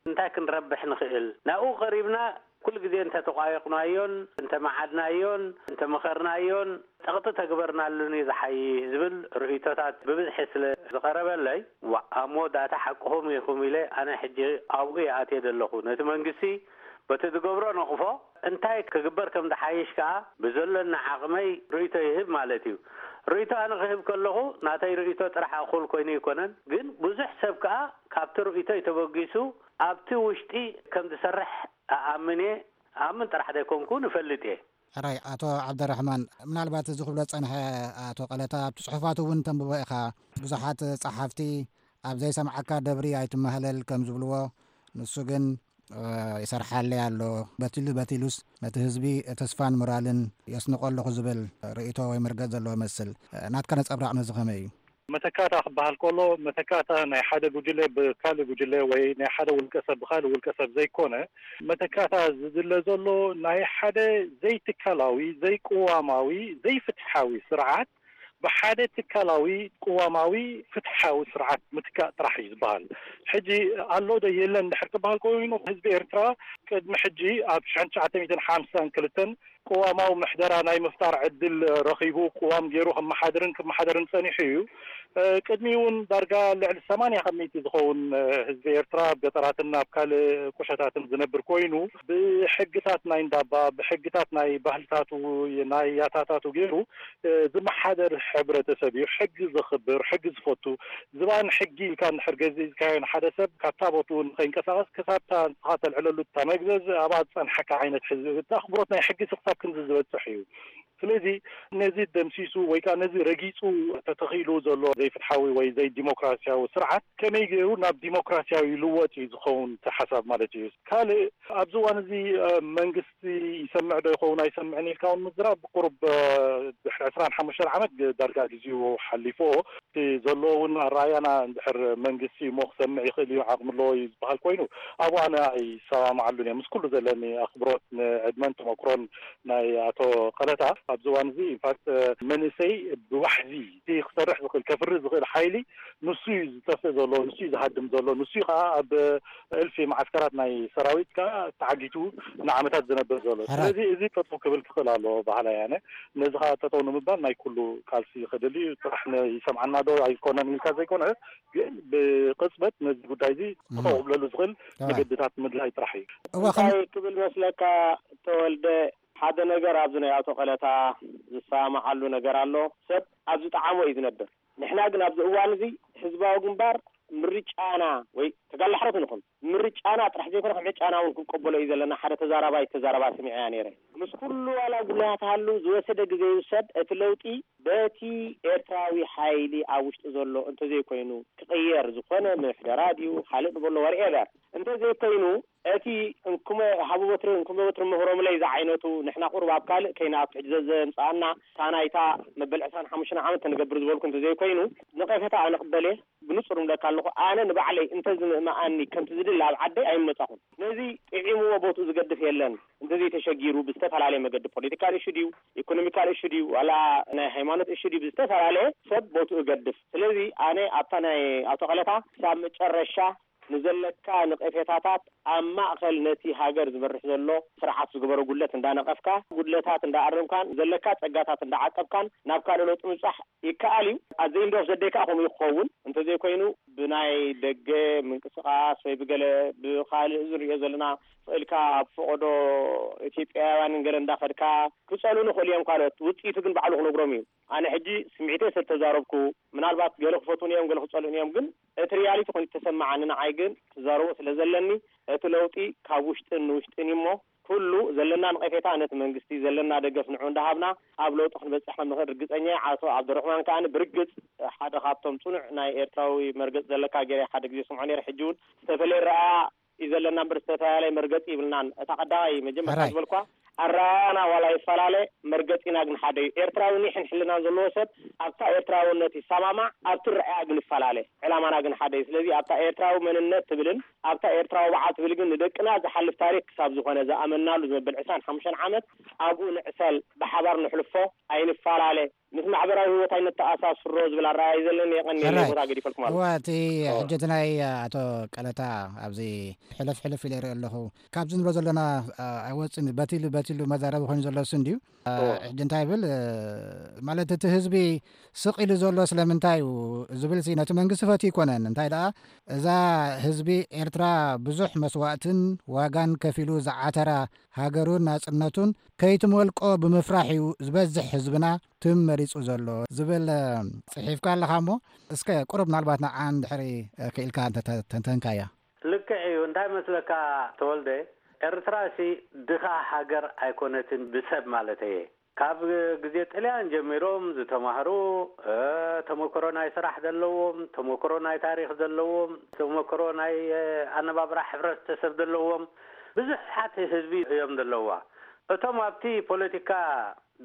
እንታይ ክንረብሕ ንኽእል? ናብኡ ቀሪብና ኩሉ ግዜ እንተተቋየቕናዮን እንተመዓድናዮን እንተመኸርናዮን ጸቕጢ ተግበርናሉን እዩ ዝሓይሽ ዝብል ርእይቶታት ብብዝሒ ስለ ዝቐረበለይ፣ ዋእ፣ ኣብ መወዳእታ ሓቅኹም ኢኹም ኢለ ኣነ ሕጂ ኣብኡ እየ ኣትየ ዘለኹ። ነቲ መንግስቲ በቲ ዝገብሮ ነቕፎ እንታይ ክግበር ከም ዝሓይሽ ከኣ ብዘሎኒ ዓቕመይ ርእይቶ ይህብ ማለት እዩ። ርእይቶ ኣነ ክህብ ከለኹ ናተይ ርእይቶ ጥራሕ እኹል ኮይኑ ኣይኮነን፣ ግን ብዙሕ ሰብ ከኣ ካብቲ ርእይቶይ ተበጊሱ ኣብቲ ውሽጢ ከም ዝሰርሕ እኣምን እየ። እኣምን ጥራሕ ዘይኮንኩ እውን እፈልጥ እየ። ሕራይ ኣቶ ዓብደራሕማን፣ ምናልባት እዚ ክብሎ ዝጸንሐ ኣቶ ቀለታ ኣብቲ ጽሑፋቱ እውን ተንብቦ ኢኻ። ብዙሓት ጸሓፍቲ ኣብ ዘይሰምዓካ ደብሪ ኣይትመሃለል ከም ዝብልዎ፣ ንሱ ግን ይሰርሓለይ ኣሎ፣ በቲሉ በቲሉስ ነቲ ህዝቢ ተስፋን ሞራልን የስንቖ ኣለኹ ዝብል ርእይቶ ወይ መርገጽ ዘለዎ ይመስል። ናትካ ነጸብራቕ ነዚ ከመይ እዩ? መተካእታ ክበሃል ከሎ፣ መተካእታ ናይ ሓደ ጉጅለ ብካልእ ጉጅለ ወይ ናይ ሓደ ውልቀ ሰብ ብካልእ ውልቀ ሰብ ዘይኮነ፣ መተካእታ ዝድለ ዘሎ ናይ ሓደ ዘይትካላዊ፣ ዘይቅዋማዊ፣ ዘይፍትሓዊ ስርዓት ብሓደ ትካላዊ፣ ቅዋማዊ፣ ፍትሓዊ ስርዓት ምትካእ ጥራሕ እዩ ዝበሃል። ሕጂ ኣሎ ዶ የለን ድሕር ክበሃል ኮይኑ፣ ህዝቢ ኤርትራ ቅድሚ ሕጂ ኣብ ሽሕን ትሽዓተ ሚእትን ሓምሳን ክልተን ቅዋማዊ ምሕደራ ናይ ምፍጣር ዕድል ረኺቡ፣ ቅዋም ገይሩ ክመሓድርን ክመሓደርን ጸኒሑ እዩ። ቅድሚኡ እውን ዳርጋ ልዕሊ ሰማንያ ካብ ሚእቲ ዝኸውን ህዝቢ ኤርትራ ኣብ ገጠራትን ኣብ ካልእ ቁሸታትን ዝነብር ኮይኑ፣ ብሕግታት ናይ እንዳባ፣ ብሕግታት ናይ ባህልታቱ፣ ናይ ያታታቱ ገይሩ ዝመሓደር ሕብረተሰብ እዩ። ሕጊ ዘኽብር፣ ሕጊ ዝፈቱ፣ ዝባን ሕጊ ኢልካ እንድሕር ገዚእካዮ ንሓደ ሰብ ካብታ ቦትኡ ንኸይንቀሳቐስ ክሳብታ ንስኻ ተልዕለሉ እታ መግዘዚ ኣብኣ ዝጸንሐካ ዓይነት ሕዝቢ እቲ ኣኽብሮት ናይ ሕጊ ክሳብ ክንዚ ዝበጽሕ እዩ። ስለዚ ነዚ ደምሲሱ ወይ ከዓ ነዚ ረጊጹ ተተኺሉ ዘሎ ዘይፍትሓዊ ወይ ዘይዲሞክራሲያዊ ስርዓት ከመይ ገይሩ ናብ ዲሞክራሲያዊ ይልወጥ እዩ ዝኸውን እቲ ሓሳብ ማለት እዩ። ካልእ ኣብዚ እዋን እዚ መንግስቲ ይሰምዕ ዶ ይኸውን ኣይሰምዕን ኢልካ እውን ምዝራብ ቁሩብ ድሕሪ ዕስራን ሓሙሽተን ዓመት ዳርጋ ግዜኡ ሓሊፍዎ እቲ ዘለዎ እውን ኣረኣያና እንድሕር መንግስቲ እሞ ክሰምዕ ይኽእል እዩ ዓቕሚ ኣለዎ እዩ ዝበሃል ኮይኑ ኣብኡ ኣነ ኣይሰማምዓሉን እየ ምስ ኩሉ ዘለኒ ኣኽብሮት ንዕድመን ተመክሮን ናይ ኣቶ ቀለታ ኣብዚ እዋን እዚ ኢንፋክት መንእሰይ ብዋሕዚ እቲ ክሰርሕ ዝኽእል ከፍሪ ዝኽእል ሓይሊ ንሱ እዩ ዝጠፍእ ዘሎ፣ ንሱ እዩ ዝሃድም ዘሎ፣ ንሱ እዩ ከዓ ኣብ እልፊ መዓስከራት ናይ ሰራዊት ከዓ ተዓጊቱ ንዓመታት ዝነብር ዘሎ። ስለዚ እዚ ጠጠው ክብል ክኽእል ኣለዎ በሃላይ ኣነ። ነዚ ከዓ ጠጠው ንምባል ናይ ኩሉ ቃልሲ ክድል እዩ። ጥራሕ ይሰምዓና ዶ ኣይኮነን ኢልካ ዘይኮነ፣ ግን ብቅፅበት ነዚ ጉዳይ እዚ ጠጠው ክብለሉ ዝኽእል መገድታት ምድላይ ጥራሕ እዩ። እዋ እንታይ ክብል መስለካ ተወልደ፣ ሓደ ነገር ኣብዚ ናይ ኣቶ ቀለታ ዝሰማማዓሉ ነገር ኣሎ። ሰብ ኣብ ዝጠዓሞ እዩ ዝነብር። ንሕና ግን ኣብዚ እዋን እዚ ህዝባዊ ግንባር ምርጫና ወይ ተጋላሕረት ንኹን ምርጫና ጥራሕ ዘይኮነ ከም ዕጫና እውን ክንቀበሎ እዩ ዘለና። ሓደ ተዛራባይ ተዛረባ ስሚዐያ ነይረ። ምስ ኩሉ ዋላ ጉድለታት ሃሉ ዝወሰደ ግዜ ይውሰድ፣ እቲ ለውጢ በቲ ኤርትራዊ ሓይሊ ኣብ ውሽጢ ዘሎ እንተዘይኮይኑ ክቕየር ዝኾነ ምሕደራ ድዩ ካልእ ንበሎ ወርኤበር እንተዘይኮይኑ እቲ እንኩመ ሃቡ በትሪ እንኩመ በትሪ ምህሮምለይ ዝዓይነቱ ንሕና ቁሩብ ኣብ ካልእ ከይና ኣብ ትሕቲ ዘዘምፅኣና እታ ናይታ መበል ዕስራን ሓሙሽተን ዓመት ተንገብር ዝበልኩ እንተዘይኮይኑ ንቐፈታ ኣነ ቅበል እየ። ብንጹር እብለካ ኣለኹ፣ ኣነ ንባዕለይ እንተዝምእመኣኒ ከምቲ ዝድለ ኣብ ዓደይ ኣይምመጻኹን። ነዚ ጥዒምዎ ቦትኡ ዝገድፍ የለን። እንተዘይተሸጊሩ ብዝተፈላለየ መገዲ ፖለቲካል እሹ ድዩ፣ ኢኮኖሚካል እሹ ድዩ፣ ዋላ ናይ ሃይማኖት እሹ ድዩ ብዝተፈላለየ ሰብ ቦትኡ እገድፍ። ስለዚ ኣነ ኣብታ ናይ ኣቶ ቀለታ ክሳብ መጨረሻ ንዘለካ ነቐፌታታት ኣብ ማእኸል ነቲ ሃገር ዝመርሕ ዘሎ ስርዓት ዝገበሮ ጉድለት እንዳነቐፍካ፣ ጉድለታት እንዳኣረምካን፣ ዘለካ ጸጋታት እንዳዓቀብካን ናብ ካልእ ለውጢ ምብጻሕ ይከኣል እዩ። ኣዘይ እንዶ ዘደይ ከዓ ከምኡ እዩ ክኸውን። እንተዘይኮይኑ ብናይ ደገ ምንቅስቓስ ወይ ብገለ ብኻልእ እዚ ንሪኦ ዘለና ክእልካ ኣብ ፈቐዶ ኢትዮጵያውያንን ገለ እንዳኸድካ ክጸሉ ንኽእሉ እዮም ካልኦት። ውጽኢቱ ግን ባዕሉ ክነግሮም እዩ። ኣነ ሕጂ ስምዒተይ ስለ ተዛረብኩ ምናልባት ገለ ክፈትዉን እዮም፣ ገለ ክጸልኡን እዮም። ግን እቲ ሪያሊቲ ኮይኑ ተሰማዓኒ። ንዓይ ግን ክዛረቦ ስለ ዘለኒ እቲ ለውጢ ካብ ውሽጥን ንውሽጥን እዩ እሞ ኩሉ ዘለና ነቐፌታ ነቲ መንግስቲ ዘለና ደገፍ ንዑ እንዳሃብና ኣብ ለውጢ ክንበጽሕ ከም ንኽእል ርግጸኛ እየ። ዓቶ ዓብደረሕማን ከኣ ብርግጽ ሓደ ካብቶም ጽኑዕ ናይ ኤርትራዊ መርገጽ ዘለካ ገይረ ሓደ ግዜ ስምዖ ነይረ። ሕጂ እውን ዝተፈለየ ረኣያ እዩ ዘለና እምበር ዝተፈላለየ መርገጺ ይብልናን። እታ ቀዳማይ መጀመርታ ሕራይ። ዝበልኳ ኣረኣያና ዋላ ይፈላለ መርገጺና ግን ሓደ እዩ። ኤርትራዊ ኒሕን ሕልናን ዘለዎ ሰብ ኣብታ ኤርትራውነት ይሰማማዕ፣ ኣብቲ ረኣያ ግን ይፈላለ። ዕላማና ግን ሓደ እዩ። ስለዚ ኣብታ ኤርትራዊ መንነት ትብልን ኣብታ ኤርትራዊ በዓል ትብል ግን ንደቅና ዝሓልፍ ታሪክ ክሳብ ዝኾነ ዝኣመናሉ ዝመበል ዕስራን ሓሙሽተን ዓመት ኣብኡ ንዕሰል፣ ብሓባር ንሕልፎ፣ ኣይንፈላለ፣ ምስ ማሕበራዊ ህይወት ኣይነተኣሳስሮ ዝብል ኣረኣያ እዩ ዘለኒ። የቐንየለይ፣ ሕራይ። ቦታ ገዲፈልኩም ኣለኹ። እዋ፣ እቲ ኦ። ሕጂ እቲ ናይ ኣቶ ቀለታ ኣብዚ ሕልፍ ሕልፍ ኢለ ይርኢ ኣለኹ። ካብዚ ንብሎ ዘለና፣ አ፣ ኣይወጽእን፣ በቲሉ በቲሉ መዛረቢ ኮይኑ ዘሎ እሱ እንድዩ። አ፣ ኦ። ሕጂ እንታይ ይብል፣ እ፣ ማለት እቲ ህዝቢ ስቕ ኢሉ ዘሎ ስለምንታይ እዩ ዝብል ሲ ነቲ መንግስቲ ፈትዩ ኣይኮነን። እንታይ ደኣ እዛ ህዝቢ ኤርትራ ብዙሕ መስዋእትን ዋጋን ከፊሉ ዝዓተራ ሃገሩን ናጽነቱን ከይትመልቆ ብምፍራሕ እዩ ዝበዝሕ ህዝብና ትም መሪጹ ዘሎ ዝብል፣ እ፣ ጽሒፍካ ኣለኻ እሞ እስከ ቁሩብ ምናልባት ንዓ እንድሕሪ፣ እ፣ ክኢልካ እንተ-፣ ተ-፣ ተንተንካያ። ልክዕ እዩ። እንታይ መስለካ ተወልደ፣ ኤርትራ ሲ ድኻ ሃገር ኣይኮነትን ብሰብ ማለት እየ። ካብ ግዜ ጥልያን ጀሚሮም ዝተማህሩ፣ እ፣ ተመክሮ ናይ ስራሕ ዘለዎም፣ ተመክሮ ናይ ታሪኽ ዘለዎም፣ ተመክሮ ናይ፣ እ፣ ኣነባብራ ሕብረተሰብ ዘለዎም ብዙሓት ህዝቢ እዮም ዘለዋ። እቶም ኣብቲ ፖለቲካ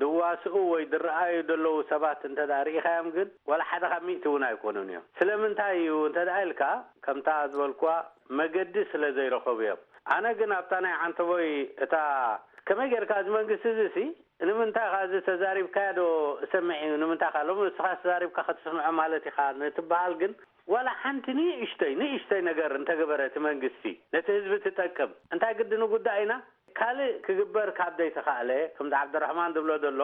ድዋስኡ ወይ ድረኣዩ ዘለዉ ሰባት እንተ ደኣ ርኢኻዮም ግን ዋላ ሓደ ካብ ሚእቲ እውን ኣይኮኑን እዮም። ስለምንታይ እዩ እንተ ደኣ ኢልካ ከምታ ዝበልኩዋ መገዲ ስለ ዘይረኸቡ እዮም። ኣነ ግን ኣብታ ናይ ዓንተቦይ እታ ከመይ ጌርካ እዚ መንግስቲ እዚ ሲ ንምንታይ ኻ እዚ ተዛሪብካዮ ዶ እሰምዕ እዩ ንምንታይ ኻ ሎሚ ንስኻ ተዛሪብካ ከተስምዖ ማለት ኢኻ ንትበሃል ግን ዋላ ሓንቲ ንእሽተይ ንእሽተይ ነገር እንተገበረ እቲ መንግስቲ ነቲ ህዝቢ ትጠቅም እንታይ ግዲ ንጉዳእ ኢና ካልእ ክግበር ካብ ዘይተኻእለ፣ ከምቲ ዓብደራሕማን ዝብሎ ዘሎ፣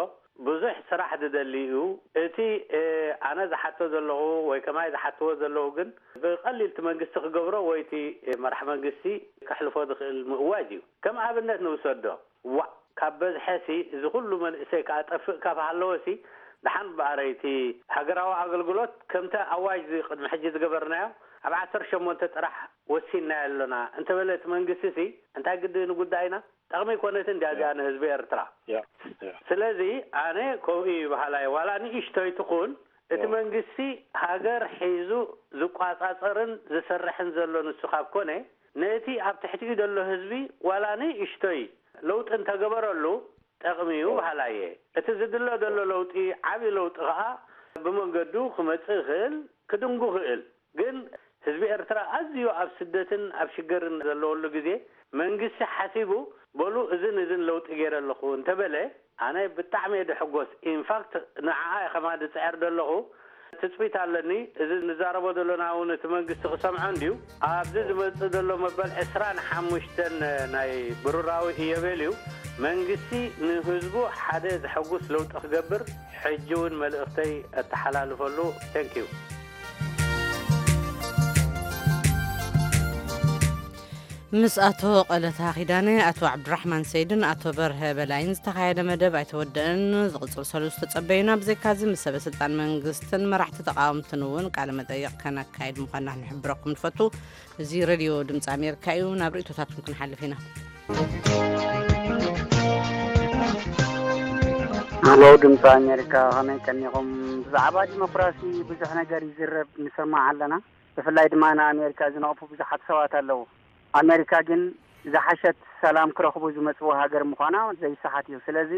ብዙሕ ስራሕ ዝደሊ እዩ። እቲ፣ እ፣ ኣነ ዝሓቶ ዘለኹ ወይ ከማይ ዝሓትዎ ዘለዉ ግን ብቐሊል እቲ መንግስቲ ክገብሮ ወይ እቲ፣ እ፣ መራሕ መንግስቲ ከሕልፎ ዝኽእል ምእዋጅ እዩ። ከም ኣብነት ንውሰዶ፣ ዋእ፣ ካብ በዝሐሲ እዚ ኩሉ መንእሰይ ክኣ ጠፍእ ካብ ሃለወሲ፣ ደሓን በኣረይ እቲ ሃገራዊ ኣገልግሎት ከምቲ ኣዋጅ እዚ ቅድሚ ሕጂ ዝገበርናዮ ኣብ ዓሰርተ ሸሞንተ ጥራሕ ወሲንናዮ ኣሎና እንተበለ እቲ መንግስቲሲ እንታይ ግዲ ንጉዳይና ጠቕሚ ኣይኮነትን ድያ እዚኣ ንህዝቢ ኤርትራ? ያ፣ ያ። ስለዚ ኣነ ከምኡ እዩ በሃላይ። ዋላ ንእሽቶይ ትኹን እቲ ያ። መንግስቲ ሃገር ሒዙ ዝቋጻጸርን ዝሰርሕን ዘሎ ንሱ ካብ ኮነ ነቲ ኣብ ትሕቲኡ ዘሎ ህዝቢ ዋላ ንእሽቶይ ለውጢ እንተገበረሉ ጠቕሚ እዩ ያ። በሃላይ እየ። እቲ ዝድለ ዘሎ ለውጢ ዓቢ ለውጢ ከኣ ብመንገዱ ክመጽእ ይኽእል፣ ክድንጉ ይኽእል። ግን ህዝቢ ኤርትራ ኣዝዩ ኣብ ስደትን ኣብ ሽገርን ዘለወሉ ግዜ መንግስቲ ሓሲቡ በሉ እዝን እዝን ለውጢ ገይረ ኣለኹ እንተበለ ኣነ ብጣዕሚ እየ ድሕጎስ። ኢንፋክት ንዓኣ እየ ከማን ዝፅዕር ዘለኹ። ትፅቢት ኣለኒ። እዚ ንዛረቦ ዘለና እውን እቲ መንግስቲ ክሰምዖ እንድዩ። ኣብዚ ዝመፅእ ዘሎ መበል ዕስራን ሓሙሽተን ናይ ብሩራዊ ኢዮቤል እዩ። መንግስቲ ንህዝቡ ሓደ ዘሐጉስ ለውጢ ክገብር ሕጂ እውን መልእኽተይ እተሓላልፈሉ። Thank you። ምስ ኣቶ ቀለታ ኪዳነ፣ ኣቶ ዓብዱራሕማን ሰይድን ኣቶ በርሀ በላይን ዝተኻየደ መደብ ኣይተወደአን። ዝቕፅል ሰሉስ ተጸበዩና። ብዘይካዚ ምስ ሰበ ስልጣን መንግስትን መራሕቲ ተቃወምትን እውን ቃለ መጠይቕ ከነካይድ ምዃንና ክንሕብረኩም ንፈቱ። እዚ ሬድዮ ድምፂ ኣሜሪካ እዩ። ናብ ርእቶታትኩም ክንሓልፍ ኢና። ሄሎ ድምፂ ኣሜሪካ፣ ከመይ ቀኒኹም? ብዛዕባ ዲሞክራሲ ብዙሕ ነገር ይዝረብ ንሰማዕ ኣለና። ብፍላይ ድማ ንኣሜሪካ ዝነቕፉ ብዙሓት ሰባት ኣለዉ። ኣሜሪካ ግን ዝሓሸት ሰላም ክረኽቡ ዝመፅዎ ሃገር ምዃና ዘይሰሓት እዩ። ስለዚ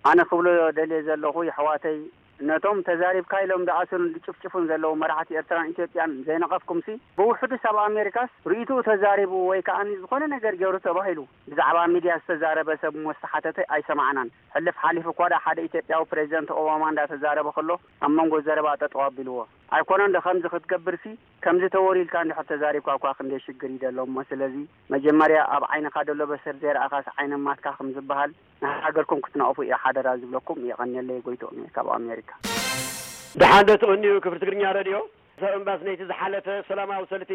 ኣነ ክብሎ ደልየ ዘለኹ፣ የሕዋተይ፣ ነቶም ተዛሪብካ ኢሎም ዝኣስሩን ዝጭፍጭፉን ዘለዉ መራሕቲ ኤርትራን ኢትዮጵያን ዘይነቐፍኩምሲ፣ ብውሕዱስ ኣብ ኣሜሪካስ ርእይትኡ ተዛሪቡ ወይ ከኣ ዝኾነ ነገር ገይሩ ተባሂሉ ብዛዕባ ሚድያ ዝተዛረበ ሰብ እሞ ዝተሓተተ ኣይሰማዕናን። ሕልፍ ሓሊፉ እኳ ደኣ ሓደ ኢትዮጵያዊ ፕሬዚደንት ኦባማ እንዳተዛረበ ከሎ ኣብ መንጎ ዘረባ ጠጠው ኣቢልዎ። ኣይኮነን ዶ ከምዚ ክትገብርሲ፣ ከምዚ ተወር ኢልካ እንድሕር ተዛሪብካ እኳ ክንደይ ሽግር እዩ ዘሎ እሞ፣ ስለዚ መጀመርያ ኣብ ዓይንኻ ዘሎ በሰር ዘይረኣኻስ ዓይኒ ኣማትካ ከም ዝበሃል፣ ንሃገርኩም ክትነቕፉ እየ ሓደራ ዝብለኩም። የቐንየለይ፣ ጎይትኦም እየ ካብ ኣሜሪካ። ደሓን ዶ ትቕንዩ ክፍሊ ትግርኛ ረድዮ? ሰብ እምባስ ነይቲ ዝሓለፈ ሰላማዊ ሰልፊ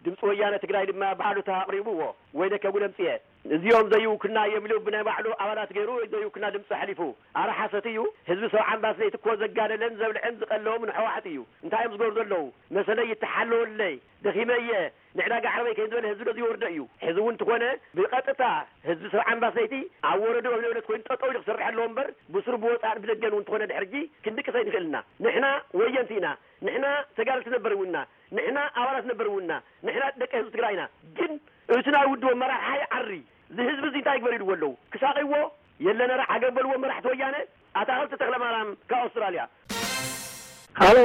ድምፂ ወያነ ትግራይ ድማ ብኣሉታ ኣቕሪብዎ። ወይለከ ጉለምፅየ፣ እዚኦም ዘይውክልና እዮም ኢሉ ብናይ ባዕሉ ኣባላት ገይሩ ዘይውክልና ድምፂ ኣሕሊፉ። ኣረ ሓሰት እዩ። ህዝቢ ሰብ ዓምባስ ነይቲ እኮ ዘጋደለን ዘብልዐን ዝቐለዎም ንሕወሓት እዩ። እንታይ እዮም ዝገብሩ ዘለዉ? መሰለይ ይተሓለወለይ፣ ደኺመ እየ፣ ንዕዳጋ ዓረበይ ከይንበለ ህዝቢ ዶ ዝወርዶ እዩ? ሕዚ እውን እንተኾነ ብቐጥታ ህዝቢ ሰብ ዓምባስ ነይቲ ኣብ ወረድኡ ኣብ ንብረት ኮይኑ ጠጠው ኢሉ ክሰርሕ ኣለዎ እምበር ብስሩ ብወፃእን ብደገን እውን እንተኾነ ድሕርጂ ክንድቅስ ኣይንኽእል ኢና። ንሕና ወየንቲ ኢና። ንሕና ተጋደልቲ ነበር እውን ኢና። ንሕና ኣባላት ነበር እውን ኢና። ንሕና ደቂ ህዝቢ ትግራይ ኢና። ግን እቲ ናይ ውድብ ኣመራርሓ ይዓሪ። እዚ ህዝቢ እዚ እንታይ ይግበር ኢልዎ ኣለዉ? ክሳቐይዎ የለነ ራዕ ሃገር በልዎ መራሕቲ ወያነ። ኣታኽልቲ ተኽለማርያም ካብ ኣውስትራልያ። ሃሎ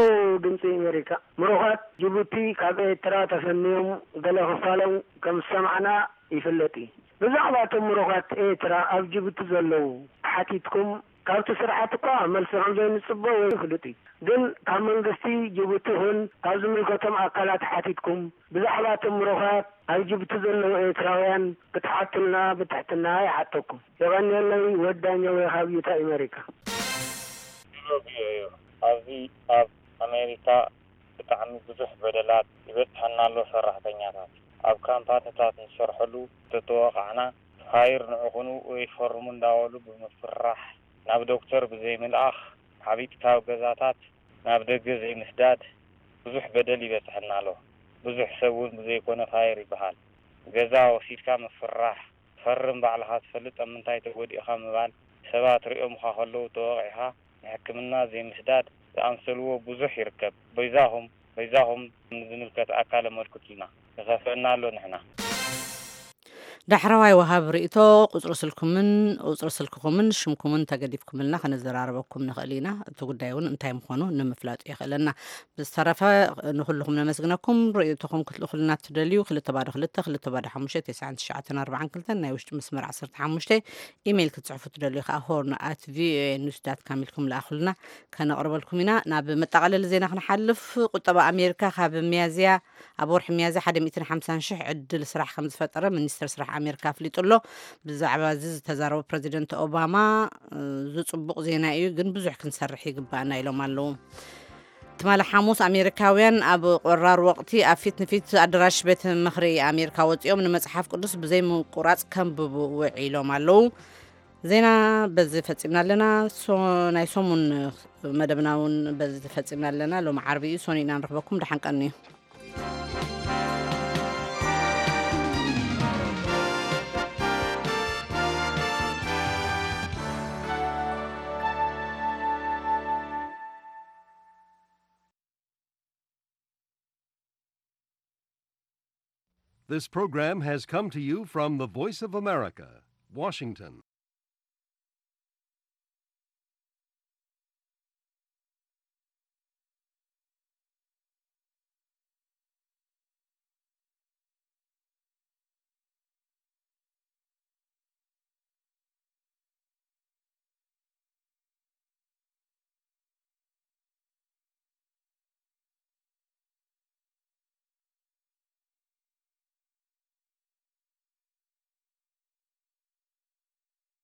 ድምፂ ኣሜሪካ። ምሩኻት ጅቡቲ ካብ ኤርትራ ተፈንዮም ገለ ክፋሎም ከም ዝሰማዕና ይፍለጥ እዩ። ብዛዕባ እቶም ምሩኻት ኤርትራ ኣብ ጅቡቲ ዘለዉ ሓቲትኩም ካብቲ ስርዓት እኳ መልሲ ከም ዘይንፅበ ወይ ይፍልጥ እዩ። ግን ካብ መንግስቲ ጅቡቲ ይኹን ካብ ዝምልከቶም ኣካላት ሓቲትኩም ብዛዕባ እቶም ምሩኻት ኣብ ጅቡቲ ዘለዉ ኤርትራውያን ክትሓቱልና ብትሕትና ይሓተኩም። የቐንየለይ። ወዳኛ ወይ ካብ ዩታ ኣሜሪካ። ድሮ ቪኦኤ ኣብዚ ኣብ ኣሜሪካ ብጣዕሚ ብዙሕ በደላት ይበፅሐና ኣሎ። ሰራሕተኛታት ኣብ ካምፓኒታት ንሰርሐሉ ተተወቓዕና ፋይር ንዕኹኑ ወይ ፈርሙ እንዳበሉ ብምፍርራሕ ናብ ዶክተር ብዘይምልኣኽ ዓቢጥካ ኣብ ገዛታት ናብ ደገ ዘይምስዳድ ብዙሕ በደል ይበፅሐና ኣሎ። ብዙሕ ሰብ እውን ብዘይኮነ ፋይር ይበሃል ገዛ ወሲድካ ምፍርራሕ ፈርም ባዕልኻ ትፈልጥ ኣብ ምንታይ ተጎዲእኻ ምባል ሰባት ሪኦምኻ ከለዉ ተወቒዕኻ ንሕክምና ዘይምስዳድ ዝኣምሰልዎ ብዙሕ ይርከብ። በይዛኹም በይዛኹም ንዝምልከት ኣካል ኣመልክቱልና። ይኸፍአና ኣሎ ንሕና። ዳሕረዋይ ወሃቢ ርእይቶ ቁፅሪ ስልኩምን ቁፅሪ ስልክኹምን ሽምኩምን ተገዲፍኩምልና ከነዘራርበኩም ንኽእል ኢና። እቲ ጉዳይ እውን እንታይ ምዃኑ ንምፍላጡ የኽእለና። ብዝተረፈ ንኹልኹም ነመስግነኩም። ርእይቶኹም ክትልእኹልና ትደልዩ ክልተ ባዶ ክልተ ክልተ ባዶ ሓሙሽተ ተስዓን ትሽዓተን ኣርባዓን ክልተን ናይ ውሽጢ መስመር ዓሰርተ ሓሙሽተ ኢሜይል ክትፅሕፉ ትደልዩ ከዓ ሆርን ኣት ቪኦኤ ኒውስ ዳት ካም ኢልኩም ለኣኹልና ከነቕርበልኩም ኢና። ናብ መጠቓለሊ ዜና ክንሓልፍ ቁጠባ ኣሜሪካ ካብ ሚያዝያ ኣብ ወርሒ ሚያዝያ ሓደ ሚእትን ሓምሳን ሽሕ ዕድል ስራሕ ከም ዝፈጠረ ሚኒስትር ስራሕ ኣሜሪካ ኣፍሊጡ ኣሎ። ብዛዕባ እዚ ዝተዛረቡ ፕረዚደንት ኦባማ እዚ ፅቡቕ ዜና እዩ፣ ግን ብዙሕ ክንሰርሕ ይግባኣና ኢሎም ኣለዉ። ትማሊ ሓሙስ ኣሜሪካውያን ኣብ ቆራር ወቕቲ ኣብ ፊት ንፊት ኣደራሽ ቤት ምኽሪ ኣሜሪካ ወፂኦም ንመፅሓፍ ቅዱስ ብዘይ ምቁራፅ ከንብቡ ውዒሎም ኣለዉ። ዜና በዚ ፈፂምና ኣለና። ሶ- ናይ ሰሙን መደብና እውን በዚ ፈፂምና ኣለና። ሎሚ ዓርቢ እዩ፣ ሶኒ ኢና ንረኽበኩም። ደሓን ቀንዩ። This program has come to you from the Voice of America, Washington.